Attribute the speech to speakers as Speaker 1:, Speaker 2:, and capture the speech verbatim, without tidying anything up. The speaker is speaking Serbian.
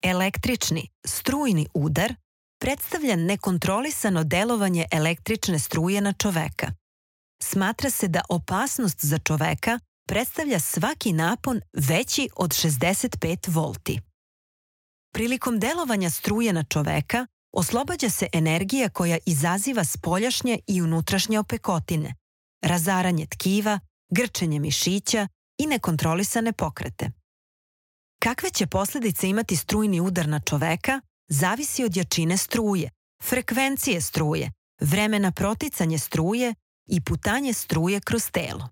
Speaker 1: Električni, strujni udar predstavlja nekontrolisano delovanje električne struje na čoveka. Smatra se da opasnost za čoveka predstavlja svaki napon veći od šezdeset pet volti. Prilikom delovanja struje na čoveka oslobađa se energija koja izaziva spoljašnje i unutrašnje opekotine, razaranje tkiva, grčenje mišića i nekontrolisane pokrete. Kakve će posljedice imati strujni udar na čoveka zavisi od jačine struje, frekvencije struje, vremena proticanja struje i putanje struje kroz telo.